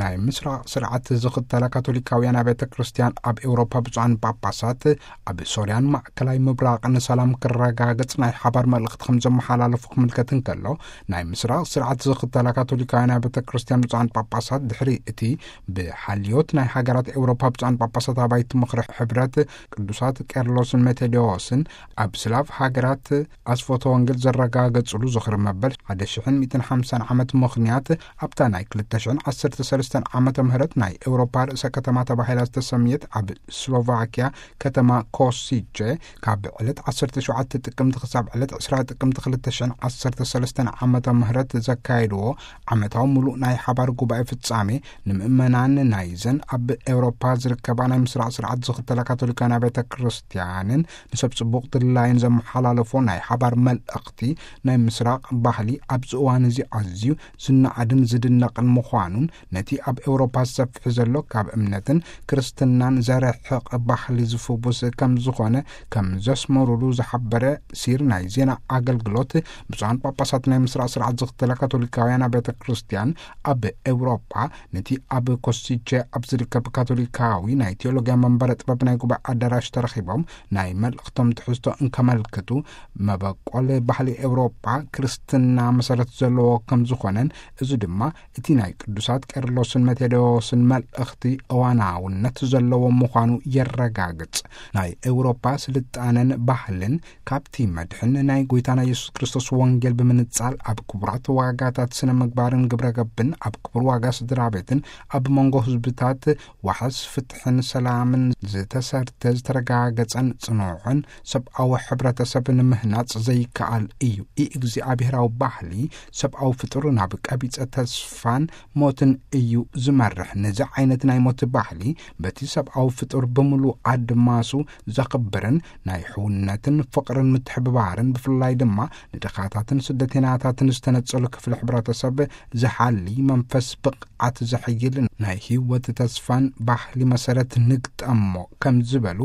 ናይ ምስራቕ ስርዓት ዝኽተላ ካቶሊካውያን ኣብያተ ክርስቲያን ኣብ ኤውሮፓ ብፁዓን ጳጳሳት ኣብ ሶርያን ማእከላይ ምብራቕን ሰላም ክረጋገጽ ናይ ሓባር መልእኽቲ ከም ዘመሓላለፉ ክምልከት እንከሎ፣ ናይ ምስራቕ ስርዓት ዝኽተላ ካቶሊካውያን ኣብያተ ክርስቲያን ብፁዓን ጳጳሳት ድሕሪ እቲ ብሓልዮት ናይ ሃገራት ኤውሮፓ ብፁዓን ጳጳሳት ኣባይቲ ምኽሪ ሕብረት ቅዱሳት ቄርሎስን ሜቴዲዎስን ኣብ ስላቭ ሃገራት ኣስፎተ ወንጌል ዘረጋገጽሉ ዝኽሪ መበል ሓደ ሽሕን ሚእትን ሓምሳን ዓመት ምኽንያት ኣብታ ናይ ክልተ ሽሕን ዓሰርተ ሰለስተን ዓመተ ምህረት ናይ ኤውሮፓ ርእሰ ከተማ ተባሂላ ዝተሰምየት ኣብ ስሎቫኪያ ከተማ ኮሲቼ ካብ ዕለት ዓሰርተ ሸውዓተ ጥቅምቲ ክሳብ ዕለት ዕስራ ጥቅምቲ ክልተ ሽሕን ዓሰርተ ሰለስተን ዓመተ ምህረት ዘካየድዎ ዓመታዊ ምሉእ ናይ ሓባር ጉባኤ ፍጻሜ ንምእመናን ናይዘን ኣብ ኤውሮፓ ዝርከባ ናይ ምስራቕ ስርዓት ዝኽተላ ካቶሊካውያን ኣብያተ ክርስቲያንን ንሰብ ጽቡቕ ድላይን ዘመሓላለፎ ናይ ሓባር መልእኽቲ ናይ ምስራቕ ባህሊ ኣብዚ እዋን እዚ ኣዝዩ ዝነኣድን ዝድነቕን ምዃኑን ነቲ ኣብ ኤውሮፓ ዝሰፍሕ ዘሎ ካብ እምነትን ክርስትናን ዘርሕቕ ባህሊ ዝፍውስ ከም ዝኾነ ከም ዘስመሩሉ ዝሓበረ ሲር ናይ ዜና ኣገልግሎት ብፁዓን ጳጳሳት ናይ ምስራቕ ስርዓት ዝኽተላ ካቶሊካውያን ኣብያተ ክርስቲያን ኣብ ኤውሮፓ ነቲ ኣብ ኮሲቼ ኣብ ዝርከብ ካቶሊካዊ ናይ ቴዎሎጊያ መንበረ ጥበብ ናይ ጉባኤ ኣዳራሽ ተረኺቦም ናይ መልእኽቶም ትሕዝቶ እንከመልክቱ መበቆል ባህሊ ኤውሮጳ ክርስትና መሰረት ዘለዎ ከም ዝኾነን እዚ ድማ እቲ ናይ ቅዱሳት ቄርሎስን መቴዎስን መልእኽቲ እዋናውነት ዘለዎ ምዃኑ የረጋግጽ። ናይ ኤውሮጳ ስልጣነን ባህልን ካብቲ መድሕን ናይ ጎይታና የሱስ ክርስቶስ ወንጌል ብምንጻል ኣብ ክቡራት ዋጋታት ስነ ምግባርን ግብረ ገብን ኣብ ክቡር ዋጋ ስድራ ቤትን ኣብ መንጎ ህዝብታት ዋሕስ ፍትሕን ሰላምን ዝተሰርተ ዝተረጋገጸን ጽኑዕን ሰብኣዊ ሕብረተሰብ ንምህናጽ ዘይከኣል እዩ። ኢ እግዚኣብሔራዊ ባህሊ ሰብኣዊ ፍጡር ናብ ቀቢጸ ተስፋን ሞትን እዩ ዝመርሕ። ነዚ ዓይነት ናይ ሞት ባህሊ በቲ ሰብኣዊ ፍጡር ብምሉእ ኣድማሱ ዘኽብርን ናይ ሕውነትን ፍቕርን ምትሕብባርን ብፍላይ ድማ ንድኻታትን ስደተኛታትን ዝተነጸሉ ክፍሊ ሕብረተሰብ ዝሓሊ መንፈስ ብቕዓት ዘሕይል ናይ ህይወት ተስፋን ባህሊ መሰረት ንግጠሞ ከም ዝበሉ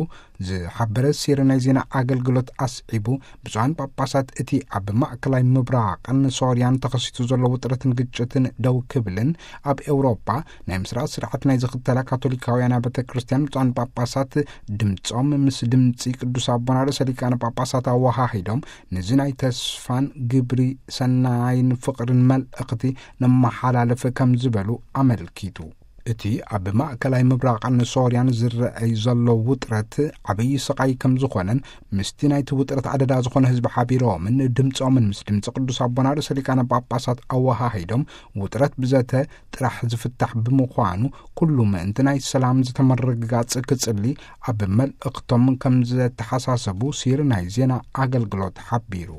ዝሓበረ ሲር ናይ ዜና ኣገልግሎት ኣስዒቡ፣ ብፁዓን ጳጳሳት እቲ ኣብ ማእከላይ ምብራቕን ሶርያን ተኸሲቱ ዘሎ ውጥረትን ግጭትን ደው ክብልን ኣብ ኤውሮጳ ናይ ምስራቕ ስርዓት ናይ ዝኽተላ ካቶሊካውያን ኣብያተ ክርስቲያን ብፁዓን ጳጳሳት ድምጾም ምስ ድምጺ ቅዱስ ኣቦና ርእሰ ሊቃነ ጳጳሳት ኣወሃሂዶም ነዚ ናይ ተስፋን ግብሪ ሰናይን ፍቕርን መልእኽቲ ነመሓላልፍ ከም ዝበሉ ኣመልኪቱ። እቲ ኣብ ማእከላይ ምብራቕን ሶርያን ዝረኣይ ዘሎ ውጥረት ዓብዪ ስቓይ ከም ዝኾነን ምስቲ ናይቲ ውጥረት ኣደዳ ዝኾነ ህዝቢ ሓቢሮምን ድምጾምን ምስ ድምጺ ቅዱስ ኣቦና ርእሰ ሊቃነ ጳጳሳት ኣወሃሂዶም ውጥረት ብዘተ ጥራሕ ዝፍታሕ ብምዃኑ ኩሉ ምእንቲ ናይ ሰላም ዝተመረግጋጽ ክጽሊ ኣብ መልእኽቶም ከም ዘተሓሳሰቡ ሲር ናይ ዜና ኣገልግሎት ሓቢሩ።